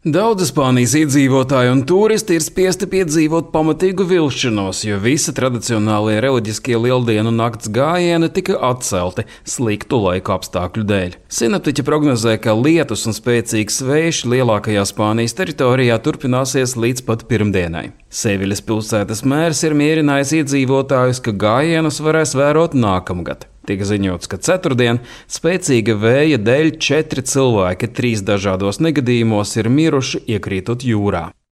Daudzi Spānijas iedzīvotāji un turisti ir spiesti piedzīvot pamatīgu vilšanos, jo visi tradicionālie reliģiskie lieldienu nakts gājieni tika atcelti sliktu laika apstākļu dēļ. Sinoptiķi prognozē, ka lietus un spēcīgs vējš lielākajā Spānijas teritorijā turpināsies līdz pat pirmdienai. Seviļas pilsētas mērs ir mierinājis iedzīvotājus, ka gājienus varēs vērot nākamgad. Tika ziņots, ka ceturtdien spēcīga vēja dēļ 4 cilvēki 3 dažādos negadījumos ir miruši iekrītot jūrā.